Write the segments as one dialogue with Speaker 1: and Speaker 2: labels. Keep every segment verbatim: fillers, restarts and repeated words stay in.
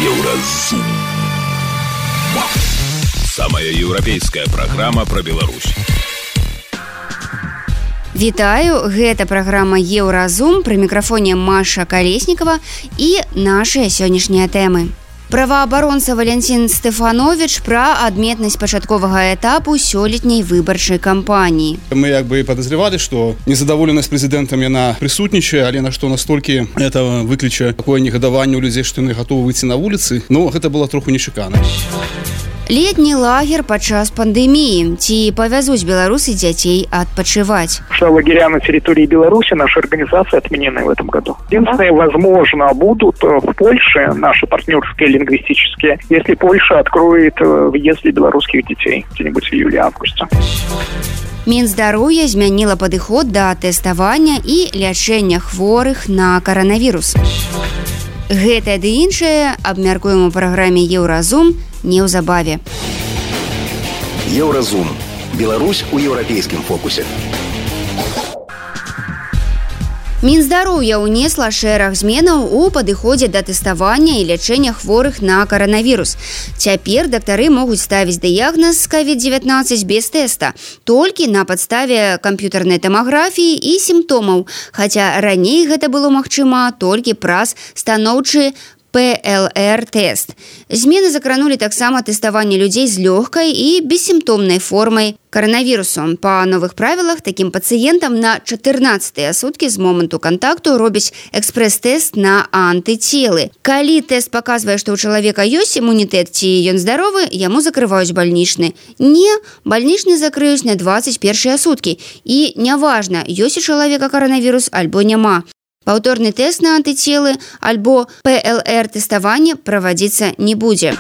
Speaker 1: Еўразум. Самая еўрапейская праграма пра Беларусь.
Speaker 2: Вітаю, гэта праграма Еўразум, пры мікрафоне Маша Колеснікова і нашыя сённяшнія тэмы. Праваабаронца Валентин Стефанович пра адметнасць пачатковага этапу сёлетняй выбарчай кампаніі.
Speaker 3: Мы як бы падазревалі, што незадаволенасць прэзідэнтам яна прысутнічае, але на што настолькі это выкліча такое негадаванне ў людзей, што яны гатовы выйти на вуліцы, но гэта было троху нечакана.
Speaker 2: Летні лагер падчас пандэміі. Ці павязуць беларусы дзяцей адпачываць?
Speaker 4: Что лагеря на территории Беларуси нашей организации отменены в этом году. Единственное, возможно, будут в Польше, наши партнерские лингвистические, если Польша откроет въезд для белорусских детей где-нибудь в июле-августе.
Speaker 2: Мінздароўя змяніла падыход да тэставання і лячэння хворых на каранавірус. Гэта ды іншае абмяркуем у праграме Еўразум неўзабаве.
Speaker 1: Еўразум. Беларусь у еўрапейскім фокусе.
Speaker 2: Мінздароўя ўнесла шэраг зменаў у падыходзе да тэставання і лячэння хворых на каранавірус. Цяпер дактары могуць ставіць дыягназ ковід дзевятнаццаць без тэста, толькі на падставе камп'ютарнай тамаграфіі і сімптомаў, хаця раней гэта было магчыма толькі праз станоўчы пэ эл эр-тэст. Змены закранулі таксама тэставанне людзей з лёгкай і бессімптомнай формай каранавірусу. Па новых правілах такім пацыентам на чатырнаццатыя суткі з моманту кантакту робяць экспрэс-тэст на антыцелы. Калі тэст паказвае, што ў чалавека ёсць імунітэт ці ён здаровы, яму закрываюць бальнічны. Не, бальнічны закрыюць на дваццаць першыя суткі. І няважна, ёсць у чалавека каранавірус альбо няма. Паўторны тэст на антыцелы альбо пэ эл эр-тэставанне правадзіцца не будзе.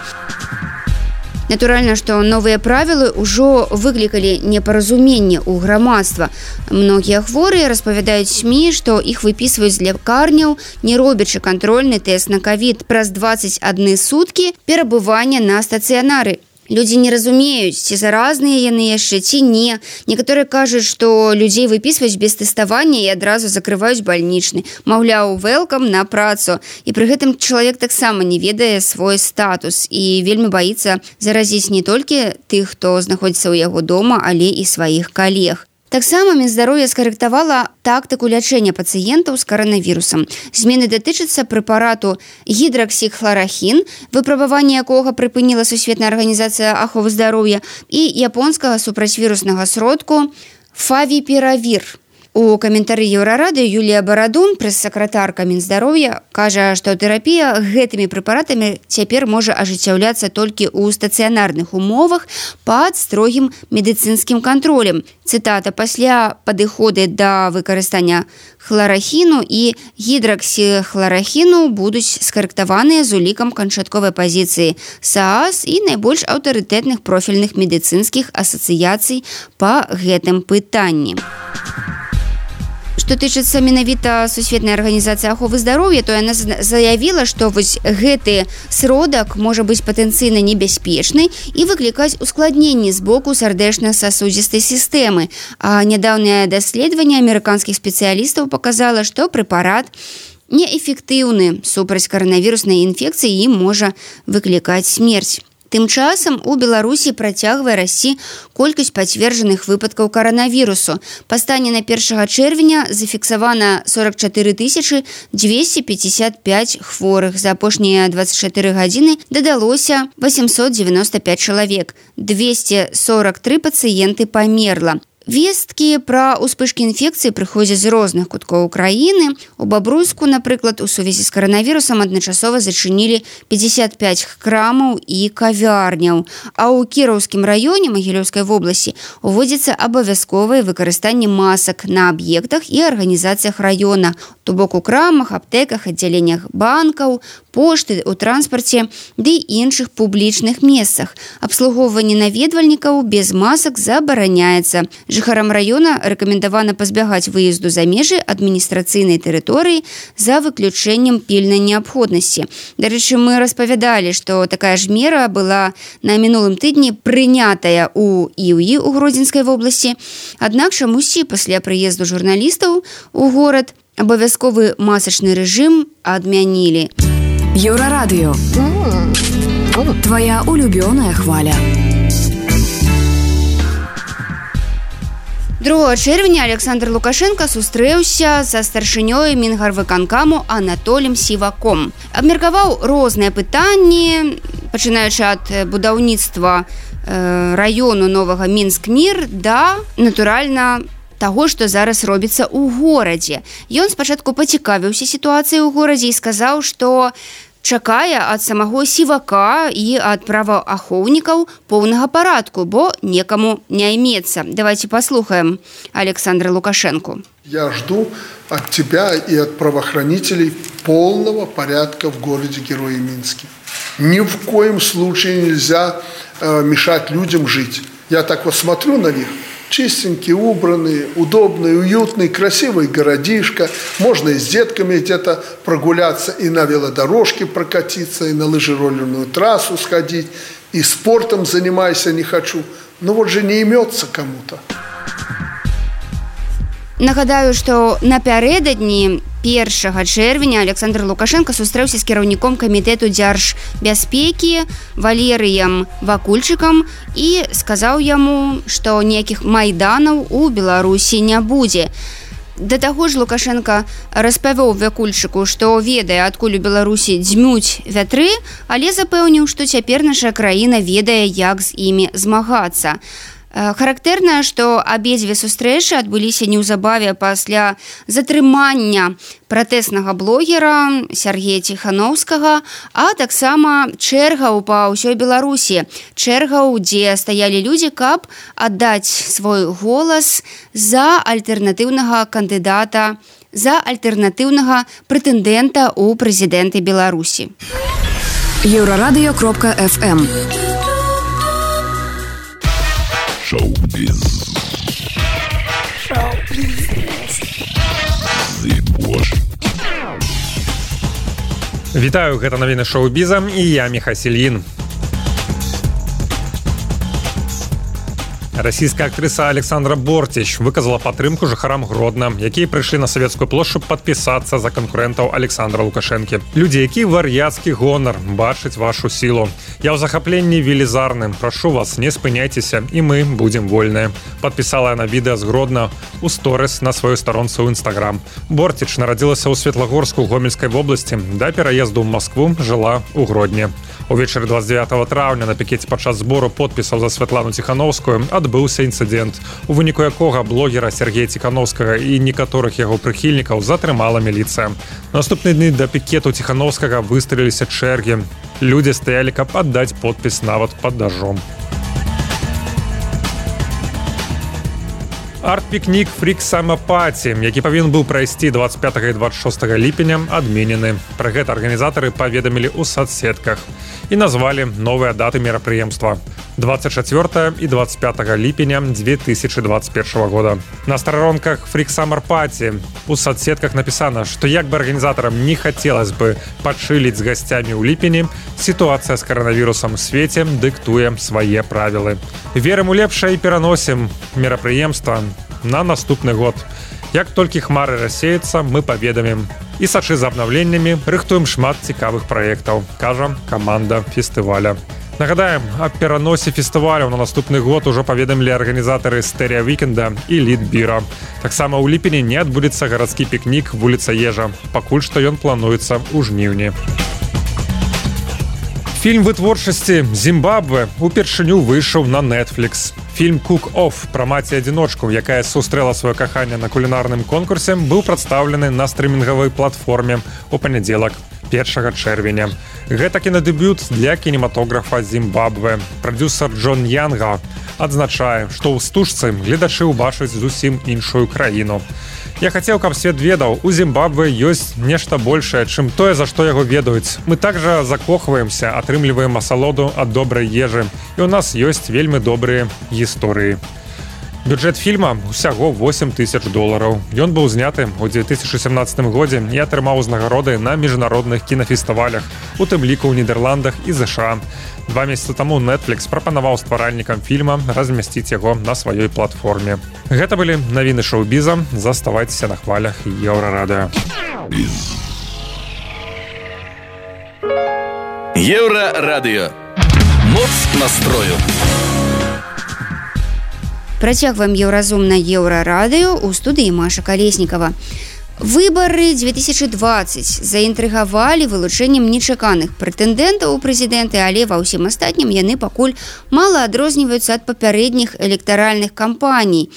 Speaker 2: Натуральна, што новыя правілы ўжо выклікалі непаразуменне ў грамадства. Многія хворыя распавядаюць СМІ, што іх выпісваюць з лякарняў, не робячы кантрольны тэст на ковід праз дваццаць адны суткі перабывання на стацыянары. Людзі не разумеюць, ці заразныя яны яшчэ, ці не. Некаторыя кажуць, што людзей выпісваюць без тэставання і адразу закрываюць бальнічны. Маўляў, вэлкам на працу. І пры гэтым чалавек таксама не ведае свой статус і вельмі баіцца заразіць не толькі тых, хто знаходзіцца ў яго дома, але і сваіх калег. Таксама Мінздароўя скарэктавала тактыку лячэння пацыентаў з каранавірусам. Змены датычацца прэпарату гідраксіхларахін, выпрабаванне якога прыпыніла Сусветная арганізацыя аховы здароўя, і японскага супрацьвіруснага сродку фавіпіравір. У каментары Еўрарады Юлія Барадун, прэс-сакратарка Мінздароўя, кажа, што тэрапія гэтымі прэпаратамі цяпер можа ажыццяўляцца толькі ў стацыянарных умовах пад строгім медыцынскім кантролем. Цытата: «Пасля падыходы да выкарыстання хларахіну і гідраксіхларахіну будуць скарэктаваныя з улікам канчатковай пазіцыі СААС і найбольш аўтарытэтных профільных медыцынскіх асацыяцый па гэтым пытанні». Што тычыцца менавіта Сусветнай арганізацыі аховы здароўя, то яна заявіла, што вось гэты сродак можа быць патэнцыйна небяспечны і выклікаць ускладненні з боку сардэчна-сасудзістай сістэмы. А нядаўнае даследаванне амерыканскіх спецыялістаў паказала, што прэпарат неэфектыўны супраць каранавіруснай інфекцыі і можа выклікаць смерць. Тым часам у Беларусі працягвае расці колькасць пацверджаных выпадкаў каранавірусу. Па стане на першага чэрвеня зафіксавана сорок чатыры тысячы дзвесце пятьдесят пять хворых. За апошнія дваццаць чатыры гадзіны дадалося восемьсот девяносто пять чалавек. двести сорок три пацыенты памерла. Весткі пра ўспышкі інфекцыі прыходзяць з розных куткоў краіны. У Бабруйску, напрыклад, у сувязі з каранавірусам адначасова зачынілі пятьдесят пять крамаў і кавярняў. А ў Кіраўскім раёне Магілёўскай вобласці уводзіцца абавязковае выкарыстанне масак на аб'ектах і арганізацыях раёна, то бок у крамах, аптэках, аддзяленнях банкаў, пошты, у транспарце ды іншых публічных месцах. Абслугоўванне наведвальнікаў без масак забараняецца. Жыхарам раёна рэкамендавана пазбягаць выезду за межы адміністрацыйнай тэрыторыі за выключэннем пільнай неабходнасці. Дарэчы, мы распавядалі, што такая ж мера была на мінулым тыдні прынятая ў Іўі ў Гродзенскай вобласці. Аднак чамусьці пасля прыезду журналістаў у горад абавязковы масачны рэжым адмянілі.
Speaker 5: Еўрарадыё. Твоя улюбёная хваля.
Speaker 2: другога чэрвеня Александр Лукашенко сустрэўся са старшынёй Мінгарвыканкаму Анатолем Сіваком. Абмеркаваў розныя пытанні, пачынаючы ад будаўніцтва э, раёну новага Мінск-Мір да, натуральна, таго, што зараз робіцца ў горадзе. Ён спачатку пацікавіўся сітуацыяй у горадзе і сказаў, што чакае ад самого Сівака і ад праваахоўнікаў поўнага парадку, бо некаму не імецца. Давайте послухаем Александра Лукашенко.
Speaker 6: Я жду от тебя и от правоохранителей полного порядка в городе Герои Минске. Ни в коем случае нельзя э, мешать людям жить. Я так вот смотрю на них. Чистенький, убранный, удобный, уютный, красивый городишко. Можно и с детками где-то прогуляться, и на велодорожке прокатиться, и на лыжероллерную трассу сходить, и спортом занимайся не хочу. Но вот же не имется кому-то.
Speaker 2: Нагадаю, што напярэдадні першага чэрвеня Александр Лукашенко сустрэўся з кіраўніком камітэту дзяржбяспекі Валерыем Вакульчыкам і сказаў яму, што ніякіх майданаў у Беларусі не будзе. Да таго ж Лукашенко распавёў Вакульчыку, што ведае, адкуль у Беларусі дзьмуць вятры, але запэўніў, што цяпер наша краіна ведае, як з імі змагацца. Характэрна, што абедзве сустрэчы адбыліся неўзабаве пасля затрымання пратэснага блогера Сергея Ціхановскага, а таксама чэргаў па ўсёй Беларусі. Чэргаў, дзе стаялі людзі, каб аддаць свой голас за альтэрнатыўнага кандыдата, за альтэрнатыўнага прэтэндэнта ў прэзідэнты Беларусі.
Speaker 5: еўрарадыё кропка эф эм.
Speaker 1: Шоу-біз.
Speaker 7: Вітаю, гэта навіны шоу-біза і я Міха Сільін. Расійская актрыса Александра Бортич выказала падтрымку жыхарам Гродна, якія прыйшлі на савецкую плошчу падпісацца за канкурэнтаў Александра Лукашэнкі. Людзі, які вар'яцкі гонар бачыць вашу сілу. Я ў захапленні велізарным. Прашу вас, не спыняйцеся, і мы будзем вольныя. Падпісала яна відэа з Гродна ў сторыс на сваёй старонцы ў Інстаграм. Бортич нарадзілася ў Светлагорску Гомельскай вобласці. Да пераезду ў Маскву жыла ў Гродні. Увечары двадцять девятого траўня на пікеце падчас збору подпісаў за Святлану Ціхановскую адбыўся інцыдэнт, у выніку якога блогера Сергея Ціхановскага і некаторых яго прыхільнікаў затрымала міліцыя. Наступны дні да пікету Ціхановскага выстраіліся чэргі. Людзі стаялі, каб аддаць подпіс нават пад дажджом. Арт-пікнік «Фрік Сама Паці», які павінен быў прайсці двадцать пятого і двадцать шостого ліпеня, адменены. Пра гэта арганізатары паведамілі ў сацсетках і назвалі новыя даты мерапрыемства – двадцать четвёртого і двадцать пятого ліпеня две тысячи двадцать первого года. На старонках «Фрік Сама Паці» у сацсетках напісана, што як бы арганізатарам не хацелось бы пачыліць з гасцямі ў ліпені, сітуацыя з каранавірусам у свеце дыктуе свае правілы. Верым у лепшае і пераносім мерапрыемства на наступны год. Як толькі хмары рассеюцца, мы паведамім. І сачы за абнаўленнямі, рыхтуем шмат цікавых праектаў, кажа каманда фестываля. Нагадаем, аб пераносе фестываляў на наступны год ужо паведамілі арганізатары Стэрэа Вікенда і Літбіра. Таксама ў ліпені не адбудзецца гарадскі пікнік вуліца Ежа. Пакуль што ён плануецца ў жніўні. Фільм вытворчасці «Зімбабве» упершыню выйшаў на Netflix. Фільм «Кук-Офф» пра маці-адзіночку, якая сустрэла сваё каханне на кулінарным конкурсе, быў прадстаўлены на стрымінгавай платформе ў панядзелак, першага чэрвеня. Гэта кінадэбют для кінематографа Зімбабве. Прадзюсар Джон Янга адзначае, што ў стужцы гледачы ўбачаць зусім іншую краіну. Я хацеў, каб свет ведаў, у Зімбабве ёсць нешта большае, чым тое, за што яго ведаюць. Мы также закохваемся, атрымліваем асалоду ад добрай ежы, і ў нас ёсць вельмі добрыя гісторыі. Бюджэт фільма усяго восемь тысяч долараў. Ён быў зняты ў две тысячи семнадцатым годзе і атрымаў узнагароды на міжнародных кінафестывалях, у тым ліку ў Нідерландах і ЗША. Два месяцы таму Netflix прапанаваў стваральнікам фільма размясціць яго на сваёй платформе. Гэта былі навіны шоу-біза. Заставайцеся на хвалях Еўрарадыё.
Speaker 1: Еўрарадыё. Моц настрою.
Speaker 2: Працягваем еўразум на Еўрарадыё, у студыі Маша Калеснікава. Выбары две тысячи двадцать заінтрыгавалі вылучэннем нечаканых прэтэндэнтаў у прэзідэнты, але ва ўсім астатнім яны пакуль мала адрозніваюцца ад папярэдніх электаральных кампаній.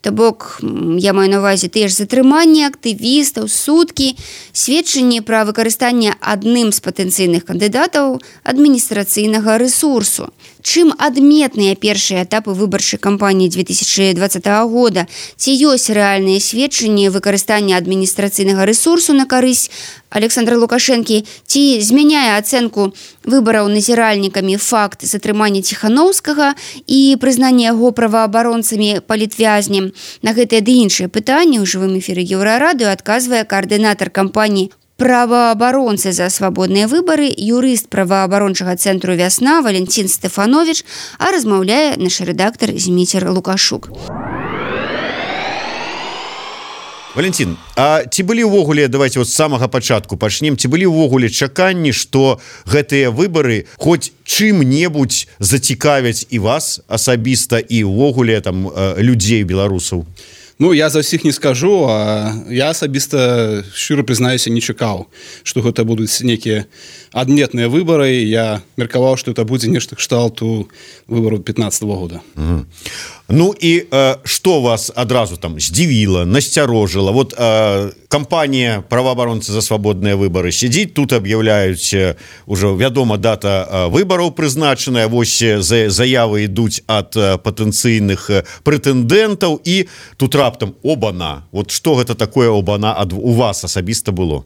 Speaker 2: То бок, я маю на ўвазе тыя ж затрыманні актывістаў, суткі, сведчанні пра выкарыстанне адным з патэнцыйных кандыдатаў адміністрацыйнага рэсурсу. Чым адметныя першыя этапы выбарчай кампаніі две тысячи двадцатого года? Ці ёсць рэальныя сведчанні выкарыстання адміністрацыйнага рэсурсу на карысць Александра Лукашэнкі? Ці змяняе ацэнку выбараў назіральнікамі факт затрымання Ціхановскага і прызнання яго праваабаронцамі палітвязнем? На гэтыя ды іншыя пытанні ў жывым эфіры Еўрарадыё адказвае каардынатар кампаніі праваабаронцы за свабодныя выбары, юрыст праваабарончага цэнтру «Вясна» Валентин Стефанович, а размаўляе наш рэдактар Зміцер Лукашук.
Speaker 8: Валентин, а ці былі ўвогуле, давайте вот з самага пачатку пачнем, ці былі ўвогуле чаканні, што гэтыя выбары хоць чым-небудзь зацікавяць і вас асабіста, і ўвогуле там людзей, беларусаў?
Speaker 3: Ну, я за ўсіх не скажу, а я асабіста, шчыра прызнаюся, не чакаў, што гэта будуць некія адметныя выбары. Я меркаваў, што это будзе нешта кшталту выбараў пятнадцатого года.
Speaker 8: Угу. Ну і э, што вас адразу там здзівіла, насцярожыла? Вот э, кампанія праваабаронцы за свабодныя выбары сядзіць, тут аб'яўляюць ужо вядома дата выбараў прызначаная, вось заявы ідуць ад патэнцыйных прэтэндэнтаў, і тут раптам обана. Вот што гэта такое обана ад у вас асабіста было?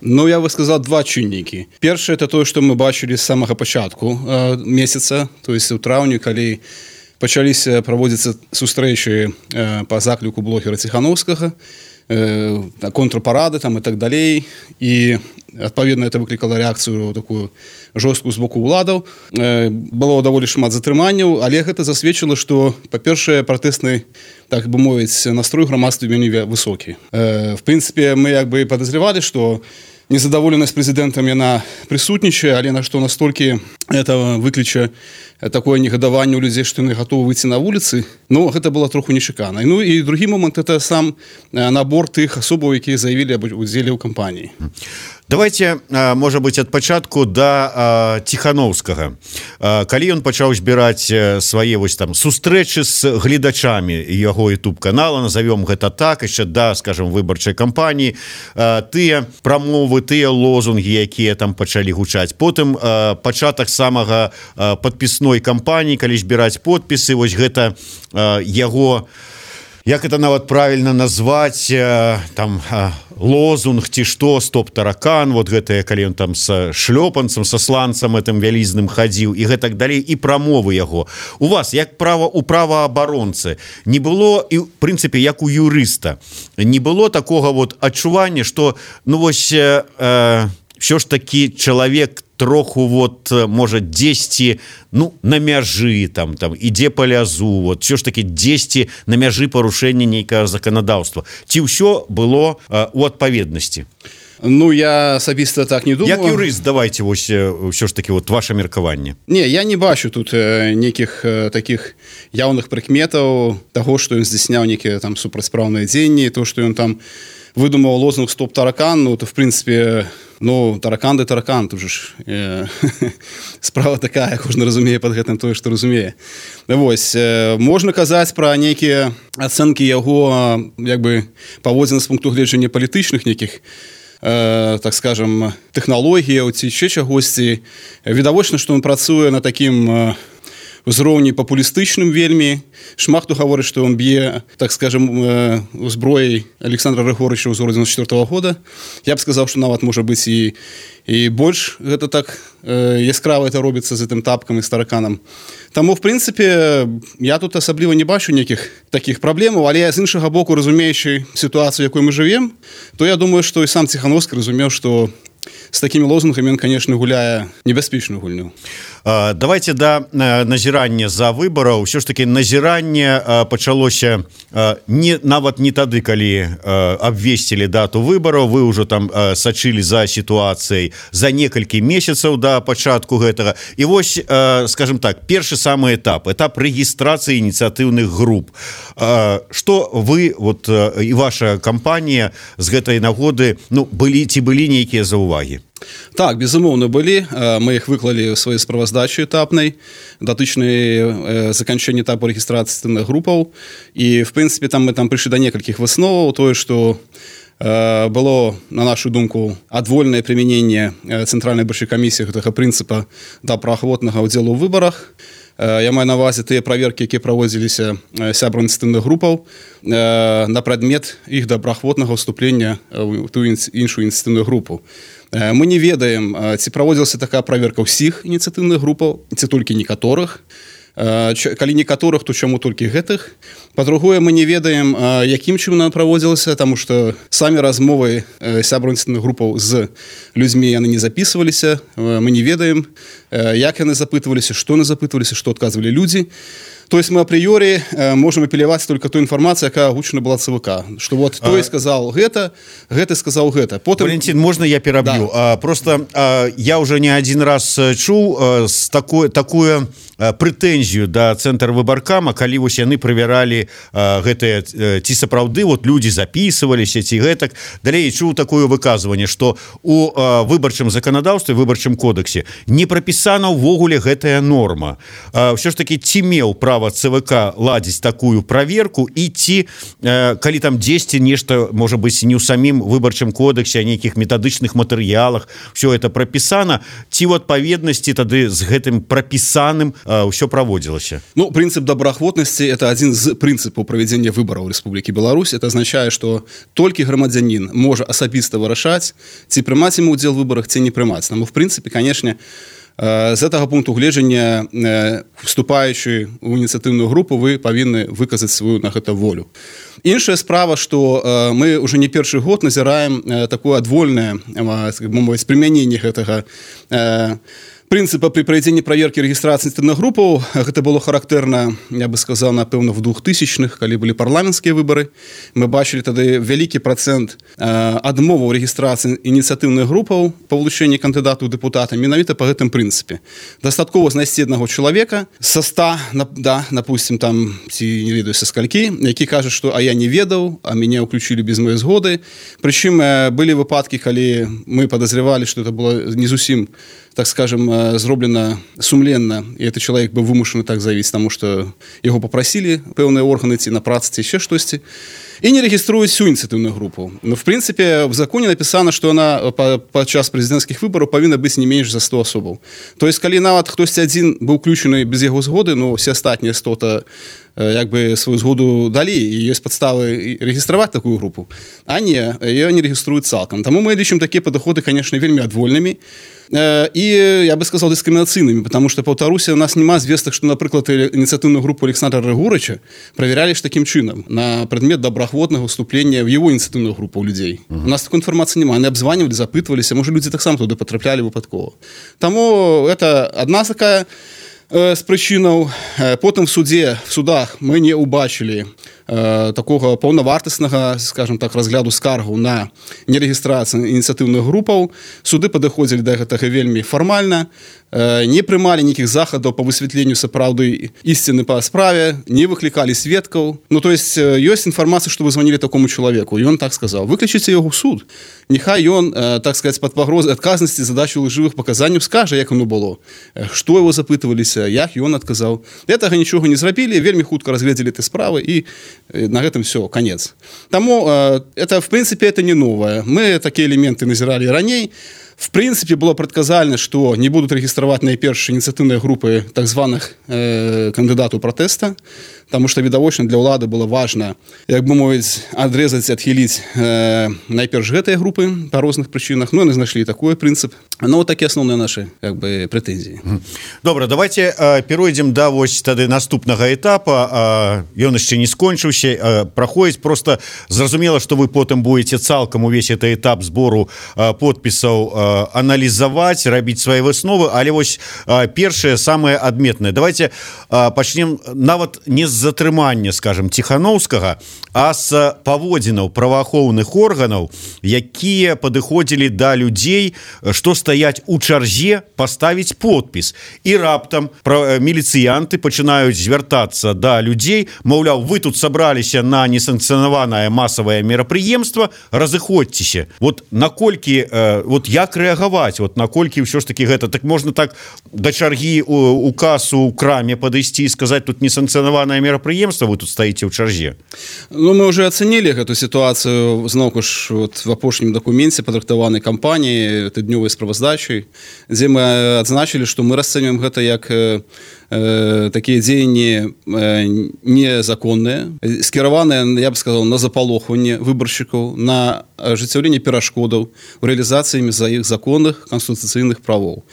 Speaker 3: Ну, я бы сказал, два чыннікі. Першае, это тое, што мы бачылі з самага пачатку э, месяца, то есть у траўні, калі пачаліся праводзіцца сустрэчы э, па закліку блогера Ціхановскага, э, контрпарады там і так далей, і адпаведна это выклікала рэакцыю такую жорсткую з боку ўладаў. Э, было даволі шмат затрыманняў, але гэта засведчыла, што, па-першае, пратэсны, так бы мовіць, настрой грамадства вельмі высокі. Э, в прынцыпе, мы як бы падазревалі, што незадаволенасць прэзідэнтам яна прысутнічае, але на што настолькі это выкліча такое негадаванне ў людзей, што яны гатовы выйти на вуліцы, ну, гэта было троху нечакана. Ну, і другі момант, это сам набор тых асобаў, якія заявілі аб удзеле ў кампаніі.
Speaker 8: Давайте, можа быць, ад пачатку да Ціхановскага. Калі ён пачаў збіраць свае вось там сустрэчы з гледачамі яго ютуб-канала, назовём гэта так, яшчэ да, скажем, выбарчай кампаніі, тыя прамовы, тыя лозунгі, якія там пачалі гучаць. Потым пачатак самага падпісной кампаніі, калі збіраць подпісы, вось гэта яго, як это нават правільна назваць, там лозунг ці што, стоп таракан, вот гэтае, калі ён там са шлёпанцам, са сланцам этим вялізным хадзіў і гэтак далей, і прамовы яго. У вас, як права у праваабаронцы, не было, і в прынцыпе, як у юрыста, не было такога вот адчування, што, ну вось, э, ўсё ж такі чалавек троху вот, можа, дзесьці, ну, на мяжы, там, там, ідзе па лязу, вот, ўсё ж такі дзесьці на мяжы парушэння нейкага заканадаўства. Ці ўсё было э, у адпаведнасці?
Speaker 3: Ну, я асабіста так не думаю.
Speaker 8: Як юрыст, давайте вось ўсё ж такі вот ваше меркаванне.
Speaker 3: Не, я не бачу тут э, нейкіх э, такіх яўных прыкметаў таго, што ён здзяйсняў нейкія там супрацьпраўныя дзеянні, то, што ён там выдумаў лозунг «Стоп таракан», ну, то, в прынцыпе, ну, таракан ды таракан, тут же ж э, справа такая, кожны разумее пад гэтым тое, што разумее. Вось, э, можна казаць пра нейкія ацэнкі яго, як бы, паводзін з пункту гледжання палітычных нейкіх, э, так скажем, тэхналогіяў ці яшчэ чагосьці. Відавочна, што ён працуе на такім э, узроўні папулістычным вельмі. Шмат хто гаворыць, што ён б'е, так скажем, зброяй Александра Григорыча ўзору дзевяносто четвёртого года. Я б сказаў, што нават можа быць і, і больш гэта так э, яскрава это робіцца з гэтым тапкам і з тараканам. Таму, в прынцыпе, я тут асабліва не бачу нейкіх такіх праблемаў, але з іншага боку, разумеючы сітуацыю, якой мы жывем, то я думаю, што і сам Ціхановскі разумеў, што з такімі лозунгамі ён, конечно, гуляе небяспечную гульню.
Speaker 8: Давайте да назірання за выбараў. Ўсё ж таки назіранне пачалося не нават не тады, калі абвесцілі дату выбараў. Вы ўжо там сачылі за сітуацыяй за некалькі месяцаў да пачатку гэтага. І вось, скажем так, першы самы этап, этап рэгістрацыі ініцыятыўных груп. Што вы вот і ваша кампанія з гэтай нагоды, ну, былі ці былі нейкія заўвагі?
Speaker 3: Так, безумоўна, былі. Мы іх выклалі ў сваёй справаздачы этапнай, датычнай заканчэння этапу рэгістрацыі ініцыятыўных групаў. І, в прынцыпе, там мы там прыйшлі да некалькіх высноваў. Тое, што было, на нашу думку, адвольнае прымяненне цэнтральнай выбарчай камісіі гэтага прынцыпа да праваахвотнага ўдзелу ў выбарах. Я маю на ўвазе тыя праверкі, якія праводзіліся сябрам ініцыятыўных групаў на прадмет іх добраахвотнага ўступлення ў тую іншую ініцыятыўную групу. Мы не ведаем, ці праводзілася такая праверка ўсіх ініцыятыўных групаў, ці толькі некаторых. Калі некаторых, то чаму толькі гэтых. Па-другое, мы не ведаем, якім чынам праводзілася, таму што самі размовы сябраў ініцыятыўных групаў з людзьмі яны не запісваліся. Мы не ведаем, як яны запытваліся, што яны запытваліся, што адказвалі людзі. То есть мы апрыёрі можем апеляваць только ту інфармацыю, якая агучана была ЦВК, что вот той сказал гэта, гэты сказал гэта. Потым...
Speaker 8: Валентин, можно я перабью? Да. А, просто а, я уже не один раз чуў а, с такой, такую а, прэтэнзію да цэнтра выбаркама, калі вось яны правяралі а, гэтыя ці сапраўды вот людзі записываліся ці гэтак. Далей чуў такое выказванне, што у а, выбарчым заканадаўстве, выбарчым кодексе не прапісана ўвогуле гэтая норма. А, ўсё ж таки ці меў права ЦВК ладзіць такую праверку і ці э, калі там дзесьці нешта можа быць не ў самім выбарчым кодексе, а нейкіх метадычных матэрыялах все это прапісана, ці ў адпаведнасці тады з гэтым прапісаным э, ўсё праводзілася?
Speaker 3: Ну, прынцып добраахвотнасці это адзін з прынцыпаў правядзення выбараў Рэспублікі Беларусь. Это азначае, што толькі грамадзянін можа асабіста вырашаць, ці прымаць ему ўдзел у выбарах, ці не прымаць. Таму в прынцыпе, канешне, з гэтага пункту гледжання, вступаючы ў ініцыятыўную групу, вы павінны выказаць сваю на гэта волю. Іншая справа, што мы ўжо не першы год назіраем такое адвольнае прымяненне гэтага прынцыпа при правядзенні праверкі рэгістрацыі ініцыятыўных групаў. Гэта было характэрна, я бы сказал, напэўна, в двухтысячных, калі былі парламенцкія выбары. Мы бачылі тады вялікі працэнт адмоваў рэгістрацыі ініцыятыўных групаў па вылучэнні кандыдатаў дэпутата менавіта па гэтым прынцыпе. Дастаткова знайсці аднаго чалавека са ста, да, допустим, там, ці не ведаю са скалькі, які кажа, што а я не ведаў, а мяне ўключілі без моей згоды. Прычым былі выпадкі, калі мы падазрявалі, што это было не зусім, так скажем, зроблена сумленна, і этот человек быў вымушаны так заявіць, таму што яго папрасілі пэўныя органы ці на працы, ці яшчэ штосьці, і не рэгіструюць всю ініцыятыўную групу. Но, в прынцыпе, в законе напісана, што она падчас прэзідэнцкіх выбараў павінна быць не менш за сто асобаў. То есть, калі нават хтосьці адзін быў уключаны без яго згоды, ну, все астатнія сто-то як бы сваю згоду далі, і ёсць падставы рэгістраваць такую групу. А не, ее не рэгіструюць цалкам. Таму мы лічым такія падыходы, конечно, вельмі адвольнымі, і, я бы сказал, дыскрымінацыйнымі, потому что, паўтаруся, у нас няма звестак, што, напрыклад, ініцыятыўную групу Александра Рыгорыча правяралі ж такім чынам на прадмет добраахвотнага ўступлення в его ініцыятыўную групу людей. Uh-huh. У нас такой інфармацыі няма. Яны абзванівалі, запытваліся, можа, людзі таксама туды патраплялі выпадкова. Таму это адна такая э, з прычынаў. Потым в суде, в судах мы не убачылі э, такога паўнавартаснага, скажем так, разгляду скаргу на нерэгістрацыю ініцыятыўных групаў. Суды падыходзілі да гэтага вельмі фармальна, э, не прымалі нейкіх захадаў па высвятленню сапраўды ісціны па справе, не выклікалі сведкаў. Ну, то есть, э, ёсць інфармацыя, што вы званілі такому чалавеку, і ён так сказаў. Выклічыце яго ў суд. Нехай ён, э, так сказать, пад пагрозай адказнасці задачу лжывых паказанняў скажа, як оно было, што его запытваліся, як ён адказаў. Гэтага нічога не зрабілі, вельмі хутка разгледзелі ты справы, і на гэтым все, конец. Таму э, это, в принципе, это не новое. Мы такие элементы назирали раней. В принципе, было предказальна, что не будут регистровать найперш инициативные группы так званых э, кандидатов протеста. Таму што відавочна для ўлады было важна, як бы мовіць, адрэзаць, адхіліць э, найперш гэтыя групы па розных прычынах. Ну, яны знайшлі такой прынцып. Ну, вот такія асноўныя нашы як бы прэтэнзіі.
Speaker 8: Добра, давайте э, перайдзем да вось тады наступнага этапа. Э, ён яшчэ не скончыўся, э, праходзіць. Просто зразумела, што вы потым будете цалкам увесь этот этап збору э, подпісаў э, аналізаваць, рабіць свае высновы, але вось э, першае самае адметнае. Давайте э, пачнем нават не з затрымання, скажем, Ціханаўскага, а з паводзінаў праваахоўных органаў, якія падыходзілі да людзей, што стаяць у чарзе паставіць подпіс. І раптам міліцыянты пачынаюць звяртацца да людзей, маўляў, вы тут сабраліся на несанкцыянаванае масавае мерапрыемства, разыходзьцеся. Вот наколькі, э, вот як рэагаваць, вот наколькі ўсё ж таки гэта, так можна так да чаргі у, у касу, у краме падысці і сказаць, тут несанкцыянаванае мерапрыемства, вы тут стаіце ў чарзе.
Speaker 3: Ну, мы уже ацэнілі гэту сітуацыю зноўку ж вот, в апошнім дакуменце падрыхтаванай кампаніі тыднёвай справаздачай, дзе мы адзначылі, што мы расцэньваем гэта як э, э, такія дзеянні э, незаконныя, скіраваныя, я б сказал, на запалохванне выбаршчыкаў, на ажыццяўленне перашкодаў у рэалізацыі за іх законных канстытуцыйных правоў.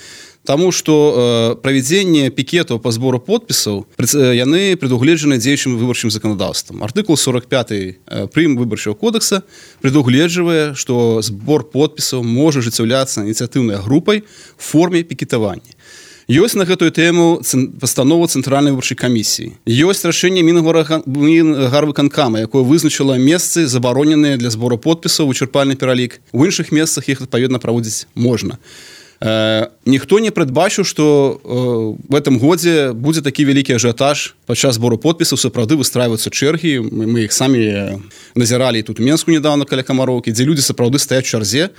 Speaker 3: Таму што э, правядзенне пікетаў па збору подпісаў яны прадугледжаны дзеючым выбарчым заканадаўствам. Артыкул сорок пяты э, прым выбарчага кодекса прадугледжвае, што збор подпісаў можа ажыццяўляцца ініцыятыўнай групай в форме пікетавання. Ёсць на гэтую тэму пастанова Цэнтральнай выбарчай камісіі. Ёсць рашэнне Мінгарвыканкама, якое вызначыла месцы, забароненыя для збору подпісаў, вычарпальны пералік. У іншых месцах іх адпаведна праводзіць можна. Э, ніхто не прадбачыў, што э, в этом годзе будзе такі вялікі ажыятаж падчас збору подпісаў, сапраўды выстрайваюцца чэргі. Мы, мы іх самі назіралі тут у Менску недавно каля Камароўкі, дзе людзі сапраўды стаяць у чарзе,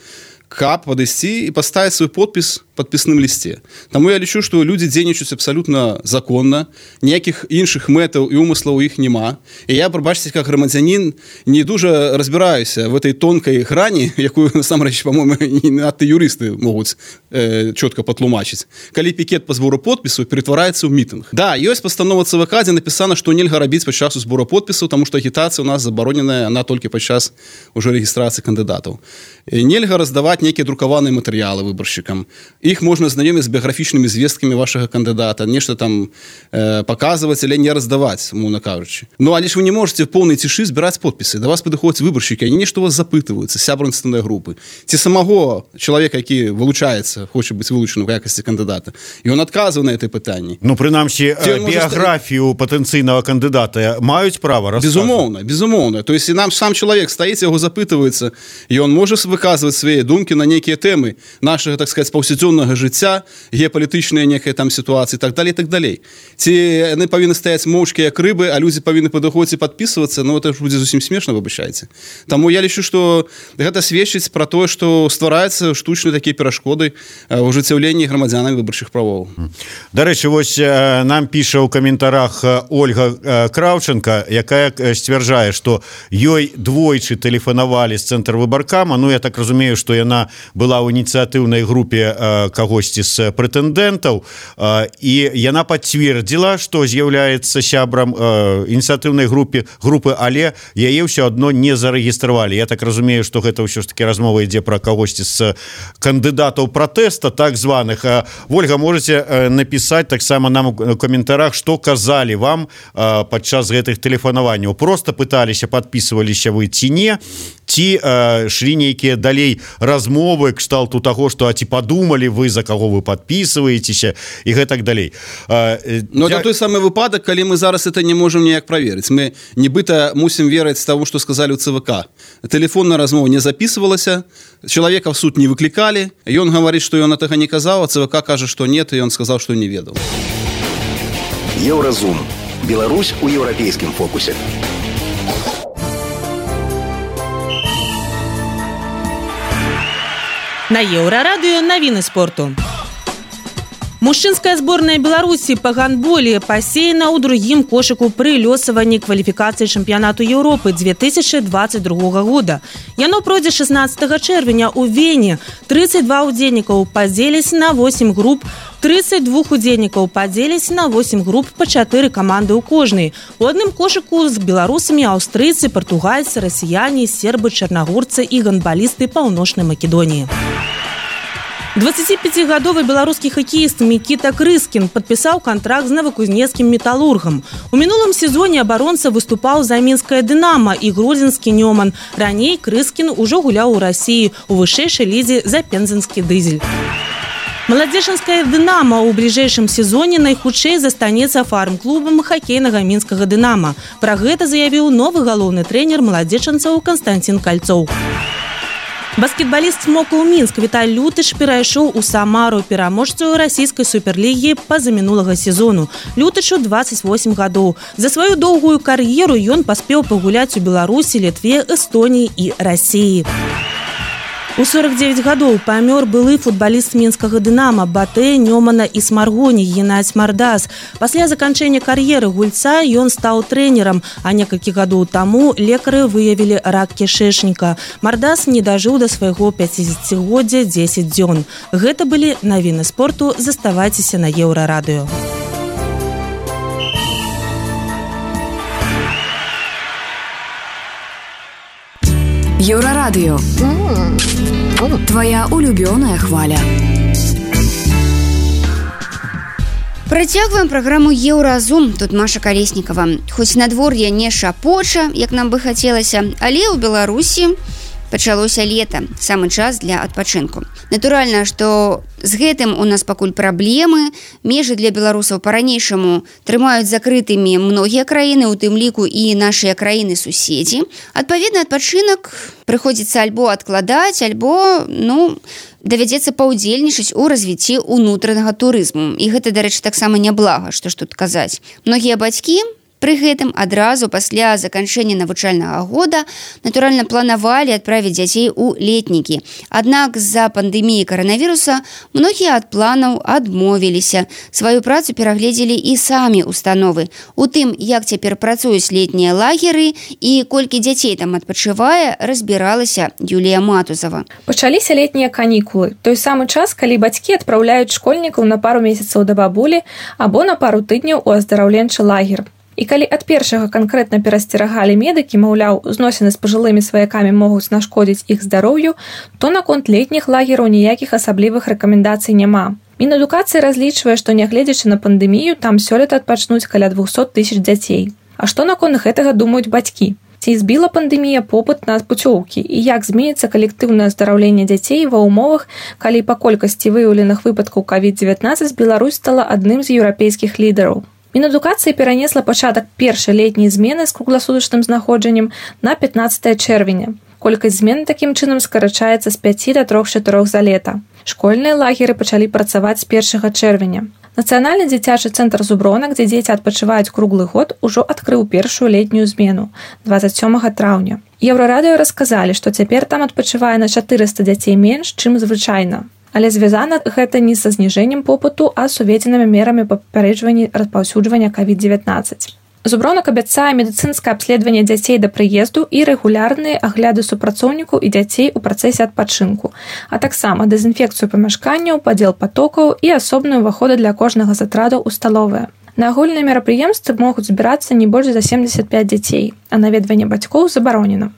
Speaker 3: каб падысці і паставіць свой подпіс падпісным лісце. Таму я лічу, што людзі дзейнічаюць абсалютна законна, ніякіх іншых мэтаў і умыслаў у іх няма. І я, прабачце, як грамадзянін, не дужа разбіраюся в этой тонкай грані, якую, насамрэч, па-моему, не надта юрысты могуць э, чётка патлумачыць. Калі пікет па збору подпісу ператвараецца ў мітынг. Да, ёсць пастанова ЦВК, дзе напісана, што нельга рабіць падчас збору подпісаў, таму што агітацыя у нас забароненая, она толькі падчас ужо рэгістрацыі кандыдатаў. І нельга раздаваць нейкія друкаваныя матэрыялы выбаршчыкам. Іх можна знаёміць з біяграфічнымі звесткамі вашага кандыдата, нешта там э, паказваць, але не раздаваць, умоўна кажучы. Ну, але ж вы не можете в поўнай цішы збіраць подпісы. Да вас падыходзяць выбаршчыкі, они нешта у вас запытваюцца, сябры ініцыятыўнай групы. Ці самого чалавека, які вылучаецца, хоча быць вылучаны ў якасці кандыдата. І ён адказвае на гэтае пытанне.
Speaker 8: Ну, прынамсі, біяграфію ста... патэнцыйнага кандыдата маюць права расказваць?
Speaker 3: Безумоўна, безумоўна. То есть, і нам сам чалавек стаіць, яго запытваецца, і ён можа выказваць свае думкі на нейкія тэмы нашага, так сказаць, паўсядзённага жыцця, геапалітычныя некая там сітуацыі, так далей, так далей. Ці яны павінны стаяць моўчкі як рыбы, а людзі павінны падыходзіць і падпісвацца, ну, это ж будзе зусім смешна, выбачайце. Таму я лічу, што гэта сведчыць пра тое, што ствараюцца штучныя такія перашкоды ў ажыццяўленні грамадзянамі выбарчых правоў.
Speaker 8: Дарэчы, вось нам піша ў каментарах Ольга Краўченка, якая сцвярджае, што ёй двойчы тэлефанавалі з цэнтр выбаркама, ну, я так разумею, што яна была ў ініцыятыўнай групе э, кагосьці з прэтэндэнтаў, э, і яна пацвердзіла, што з'яўляецца сябрам э, ініцыятыўнай групе групы, але яе ўсё адно не зарэгістравалі. Я так разумею, што гэта ўсё ж таки размова ідзе пра кагосьці з кандыдатаў пратэста, так званых. Э, Ольга, можете э, напісаць таксама нам у каментарах, што казалі вам э, падчас гэтых тэлефанаванняў. Просто пыталіся, падпісваліся вы ці не, ці э, шлі нейкія далей размовы кшталту таго, што а ці падумалі вы, за каго вы падпісваецеся і гэтак далей. Э,
Speaker 3: Но я... это той самы выпадак, калі мы зараз это не можам ніяк праверыць. Мы нібыта мусім верыць таму, што сказалі ў ЦВК. Тэлефонная размова не записывалася, чалавека в суд не выклікалі, ён гаворыць, што ён гэтага не казаў, а ЦВК кажа, што нет, і ён сказаў, што не ведаў.
Speaker 9: Еўразум. Беларусь у еўрапейскім фокусе.
Speaker 10: На Еўрарадыё навіны спорту. Мужчынская зборная Беларусі па гандболе пасеяна ў другім кошыку пры лёсаванні кваліфікацыі чэмпіянату Еўропы две тысячи двадцать другога года. Яно пройдзе шаснаццатага чэрвеня ў Вене. тридцать два удзельнікаў падзеліся на восемь груп тридцать два удзельнікаў падзеліся на восемь груп па чатыры каманды ў кожнай. У адным кошыку з беларусамі аўстрыйцы, партугальцы, расіяне, сербы, чарнагорцы і гандбалісты Паўночнай Македоніі. дваццаціпяцігадовы беларускі хакеіст Мікіта Крыскін падпісаў кантракт з новакузнецкім металургам. У мінулым сезоне абаронца выступаў за мінскае «Дынама» і гродзенскі «Нёман». Раней Крыскін ужо гуляў у Расіі у вышэйшай лізе за пензенскі «Дызель». Маладзечанскае «Дынама» ў бліжэйшым сезоне найхутчэй застанецца фарм-клубам хакейнага мінскага «Дынама». Пра гэта заявіў новы галоўны трэнер маладзечанцаў Канстантин Кальцоў. Баскетбаліст «Смокаў Мінск» Віталь Лютыш перайшоў у Самару, пераможцу расійскай суперлігі па-за мінулага сезону. Лютышу дваццаць восем гадоў. За сваю доўгую кар'еру ён паспеў пагуляць у Беларусі, Літве, Эстоніі і Расіі. У сорок девять гадоў памёр былы футбаліст мінскага «Дынама» Батэ, Нёмана і Смаргоні Геннадзь Мардас. Пасля заканчэння кар'еры гульца ён стаў трэнерам, а некалькі гадоў таму лекары выявілі рак кішэчніка. Мардас не дажыў да свайго пяцідзесяцігоддзя дзесяць дзён. Гэта былі навіны спорту. Заставайцеся на Еўрарадыё.
Speaker 5: Еўрарадыё. Твоя улюбёная хваля.
Speaker 2: Працягваем праграму «Еўразум». Тут Маша Калеснікава. Хоць надвор'е не шапоча, як нам бы хацелася, але ў Беларусі пачалося лета, самы час для адпачынку. Натуральна, што з гэтым у нас пакуль праблемы. Межы для беларусаў па-ранейшаму трымаюць закрытымі многія краіны, у тым ліку і нашыя краіны-суседзі. Адпаведна, адпачынак прыходзіцца альбо адкладаць, альбо, ну, давядзецца паўдзельнічаць у развіцці ўнутранага турызму. І гэта, дарэчы, таксама няблага, што ж тут казаць. Многія бацькі пры гэтым адразу пасля заканчэння навучальнага года натуральна планавалі адправіць дзяцей у летнікі. Аднак з-за пандэміі каранавіруса многія ад планаў адмовіліся. Сваю працу перагледзелі і самі установы. У тым, як цяпер працуюць летнія лагеры і колькі дзяцей там адпачывае, разбіралася Юлія Матузава.
Speaker 11: Пачаліся летнія канікулы. Той самы час, калі бацькі адпраўляюць школьнікаў на пару месяцаў да бабулі або на пару тыдняў у аздараўленчы лагер. І калі ад першага канкрэтна перасцерагалі медыкі, маўляў, зносіны з пажылымі сваякамі могуць нашкодзіць іх здароўю, то наконт летніх лагераў ніякіх асаблівых рэкамендацый няма. Мінадукацыя разлічвае, што нягледзячы на пандэмію, там сёлета адпачнуць каля двухсот тысяч дзяцей. А што наконт гэтага думаюць бацькі? Ці збіла пандэмія попыт на пуцёўкі? І як зменіцца калектыўнае аздараўленне дзяцей ва ўмовах, калі па колькасці выяўленых выпадкаў ковід дзевятнаццаць Беларусь стала адным з еўрапейскіх лідараў? Мінадукацыя перанесла пачатак першай летняй змены з кругласутачным знаходжаннем на пятнаццатае чэрвеня. Колькасць змен такім чынам скарачаецца з пяці да трох-чатырох за лета. Школьныя лагеры пачалі працаваць з першага чэрвеня. Нацыянальны дзіцячы цэнтр Зуброна, дзе дзеці адпачываюць круглы год, ужо адкрыў першую летнюю змену дваццаць сёмага траўня. Еўрарадыё расказалі, што цяпер там адпачывае на чатырыста дзяцей менш, чым звычайна. Але звязана гэта не са зніжэннем попыту, а з уведзенымі мерамі па папярэджванні распаўсюджвання ковід дзевятнаццаць. Зубронак абяцае медыцынскае абследаванне дзяцей да прыезду і рэгулярныя агляды супрацоўнікаў і дзяцей у працэсе адпачынку, а таксама дэзінфекцыю памяшканняў, падзел патокаў і асобныя ўваходы для кожнага з атрадаў у сталовыя. На агульныя мерапрыемствы могуць збірацца не больш за семдзесят пяць дзяцей, а наведванне бацькоў забаронена.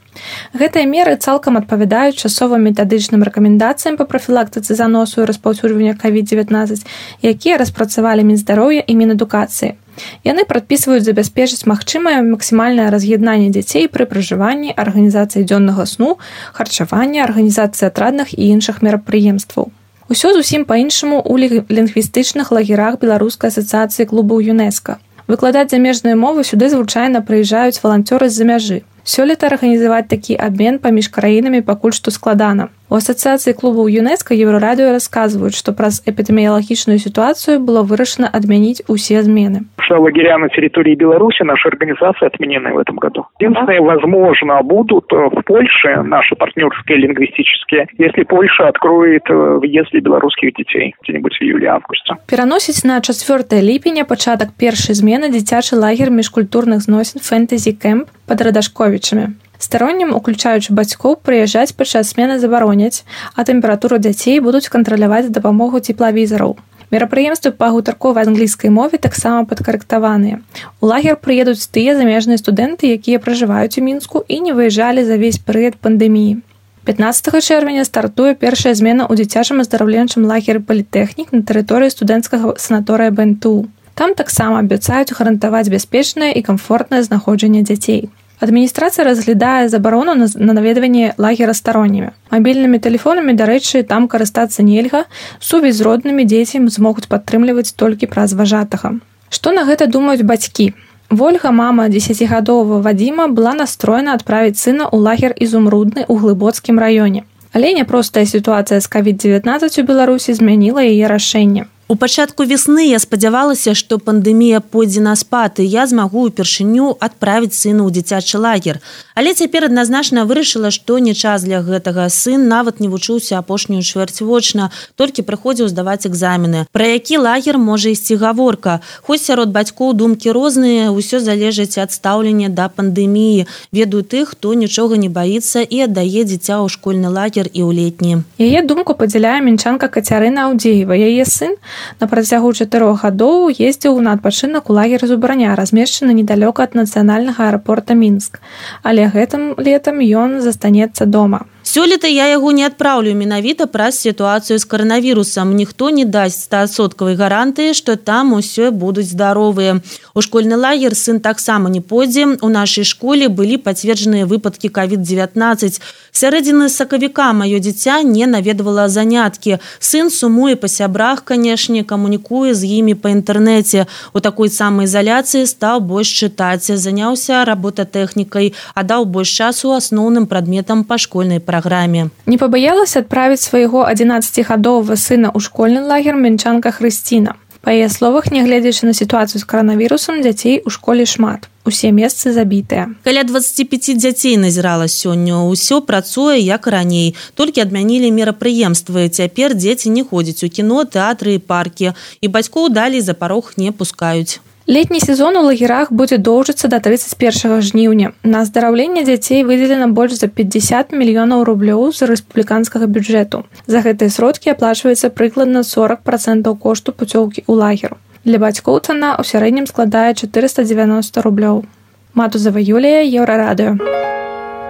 Speaker 11: Гэтыя меры цалкам адпавядаюць часовым метадычным рэкамендацыям па прафілактыцы заносу і распаўсюджвання ковід дзевятнаццаць, якія распрацавалі Мінздароўя і Мінадукацыі. Яны прадпісваюць забяспечыць магчымае максімальнае раз'яднанне дзяцей пры пражыванні, арганізацыі дзённага сну, харчавання, арганізацыі атрадных і іншых мерапрыемстваў. Усё зусім па-іншаму ў лінгвістычных лагерах Беларускай асацыяцыі клубаў ЮНЕСКА. Выкладаць замежныя мовы сюды звычайна прыязджаюць валанцёры з-за мяжы. Сёлета арганізаваць такі абмен паміж краінамі пакуль што складана. У асацыяцыі клубаў ЮНЕСКА Еўрарадыё расказваюць, што праз эпідэміялагічную ситуацию было вырашана отменить усе змены.
Speaker 4: Лагеря на территории Беларуси нашей организации отменены в этом году. Единственное, возможно, будут в Польше наши партнерские лингвистические, если Польша откроет въезд для белорусских детей где-нибудь в июле-августе.
Speaker 11: Пераносіць на чацвёртае ліпеня пачатак першай змены дзіцячы лагер міжкультурных зносін «Фэнтэзі Кэмп» пад Радашковічамі. Староннім, уключаючы бацькоў, прыязджаць падчас змены забароняць, а тэмпературу дзяцей будуць кантраляваць з дапамогай цеплавізараў. Мерапрыемствы па гутарковай англійскай мове таксама падкарэктаваныя. У лагер прыедуць тыя замежныя студэнты, якія пражываюць у Мінску і не выязджалі за весь перыяд пандэміі. пятнаццатага чэрвеня стартуе першая змена ў дзіцячым аздараўленчым лагеры палітэхнік на тэрыторыі студэнцкага санаторыя бэ эн тэ у. Там таксама абяцаюць гарантаваць бяспечнае і камфортнае знаходжанне дзяцей. Адміністрацыя разглядае забарону на наведванне лагера староннімі. Мабільнымі тэлефонамі, дарэчы, там карыстацца нельга, сувязь з роднымі дзецям змогуць падтрымліваць толькі праз важатага. Што на гэта думаюць бацькі? Вольга, мама дзесяцігадовага Вадзіма, была настроена адправіць сына ў лагер Ізумрудны ў Глыбоцкім раёне. Але няпростая сітуацыя з ковід дзевятнаццаць у Беларусі змяніла яе рашэнне.
Speaker 10: У пачатку весны я спадзявалася, што пандэмія пойдзе на спад, і я змагу ўпершыню адправіць сына ў дзіцячы лагер. Але цяпер адназначна вырашыла, што не час для гэтага. Сын нават не вучыўся апошнюю чвэрць вочна, толькі прыходзіў здаваць экзамены. Пра які лагер можа ісці гаворка? Хоць сярод бацькоў думкі розныя, усё залежыць ад стаўлення да пандэміі. Ведаю тых, хто нічога не баіцца і аддае дзіця ў школьны лагер і ў летні.
Speaker 11: Яе думку падзяляе мінчанка Кацярына Аўдзеева. Яе сын на працягу чатырох гадоў ездзіў на адпачынак у лагер Зубраня, размешчаны недалёка ад нацыянальнага аэрапорта Мінск. Але гэтым летам ён застанецца дома.
Speaker 10: Сёлета я яго не адпраўлю менавіта праз сітуацыю з каранавірусам. Ніхто не дасць стасоткавай гарантыі, што там усё будуць здаровыя. У школьны лагер сын таксама не пойдзе. У нашай школе былі пацверджаныя выпадкі ковід дзевятнаццаць. Сярэдзіны сакавіка маё дзіця не наведвала заняткі. Сын сумуе па сябрах, канешне, камунікуе з імі па інтэрнэце. У такой самаізаляцыі стаў больш чытаць, заняўся работатэхнікай, аддаў больш часу асноўным прадметам па школьнай праграме. Программе.
Speaker 11: Не побоялась отправить своего одиннаццатигадового сына ў школьны лагер мінчанка Хрысціна. Па яе словах, нягледзячы на сітуацыю з каранавірусам, дзяцей у школе шмат. Усе месцы забітыя.
Speaker 10: Каля дваццаць пяць дзяцей назірала сёння. Усё працуе як раней. Толькі адмянілі мерапрыемствы. Цяпер дзеці не ходзяць у кіно, тэатры і паркі. І бацькоў далей за парог не пускаюць.
Speaker 11: Летні сезон у лагерах будзе доўжыцца да трыццаць першага жніўня. На аздараўленне дзяцей выделена больш за пятьдесят мільёнаў рублёў з рэспубліканскага бюджэту. За гэтыя сродкі аплачваецца прыкладна сорок процентаў кошту пуцёўкі ў лагер. Для бацькоў цана ў сярэднім складае чатырыста дзевяноста рублёў. Матузава Юлія, Еўрарадыё.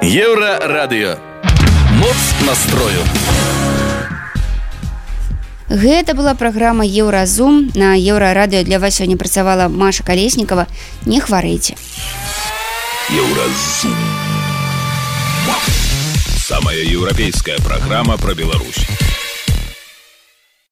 Speaker 1: Еўрарадыё. Моц настрою.
Speaker 2: Гэта была праграма Еўразум. На Еўрарадыё для вас сёння працавала Маша Калеснікава. Не хварэйце.
Speaker 1: Еўразум. Самая еўрапейская праграма пра Беларусь.